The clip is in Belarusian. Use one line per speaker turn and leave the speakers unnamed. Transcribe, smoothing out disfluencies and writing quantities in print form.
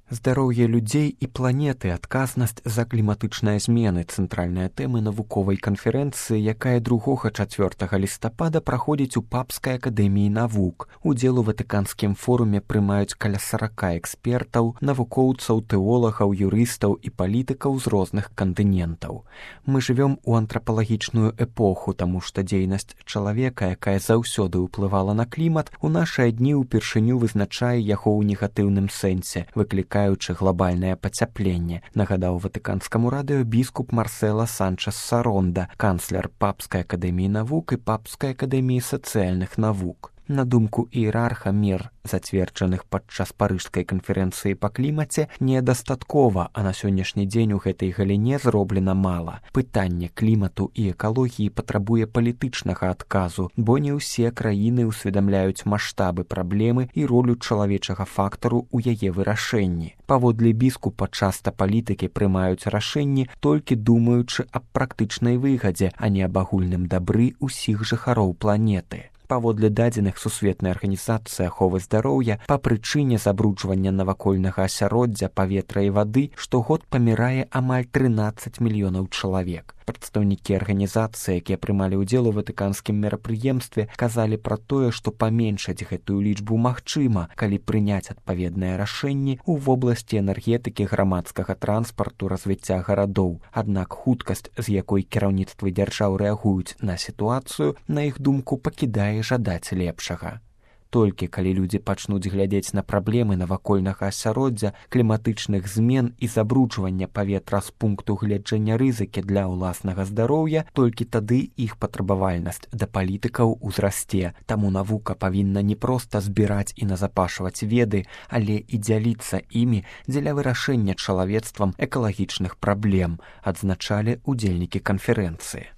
Здароўе людзей і планеты, адказнасць за кліматычныя змены – цэнтральная тэма навуковай канферэнцыі, якая 2-4 лістапада праходзіць у Папскай акадэміі навук. Удзел у Ватыканскім форуме прымаюць каля 40 экспертаў, навукоўцаў, тэолагаў, юрыстаў і палітыкаў з розных кантынентаў. Мы жывём у антрапалагічную эпоху, таму што дзейнасць чалавека, якая заўсёды ўплывала на клімат, у нашыя дні ўпершыню вызначае яго ў негатыўным сэнсе, выклікаючы глобальнае пацяпленне, нагадаў Ватыканскаму радыё біскуп Марсела Санчес-Саронда, канцлер Папскай акадэміі навук і Папскай акадэміі сацыяльных навук. На думку іерарха, мер, зацверджаных падчас парыжскай канферэнцыі па клімаце, недастаткова, а на сённяшні дзень у гэтай галіне зроблена мала. Пытанне клімату і экалогіі патрабуе палітычнага адказу, бо не ўсе краіны ўсведамляюць маштабы праблемы і ролю чалавечага фактару ў яе вырашэнні. Паводле біскупа, часта палітыкі прымаюць рашэнні, толькі думаючы аб практычнай выгадзе, а не аб агульным дабры ўсіх жыхароў планеты. Паводле дадзеных Сусветнай арганізацыі аховы здароўя, па прычыне забруджвання навакольнага асяроддзя, паветра і вады штогод памірае амаль 13 мільёнаў чалавек. Прадстаўнікі арганізацыі, якія прымалі ўдзел у ватыканскім мерапрыемстве, казалі пра тое, што паменшаць гэтую лічбу магчыма, калі прыняць адпаведныя рашэнні ў вобласці энергетыкі, грамадскага транспарту, развіцця гарадоў. Аднак хуткасць, з якой кіраўніцтвы дзяржаў рэагуюць на сітуацыю, на іх думку, пакідае жадаць лепшага. Толькі калі людзі пачнуць глядзець на праблемы навакольнага асяроддзя, кліматычных змен і забруджвання паветра з пункту гледжання рызыкі для ўласнага здароўя, толькі тады іх патрабавальнасць да палітыкаў узрасце. Таму навука павінна не проста збіраць і назапашваць веды, але і дзяліцца імі дзеля вырашэння чалавецтвам экалагічных праблем, адзначалі ўдзельнікі канферэнцыі.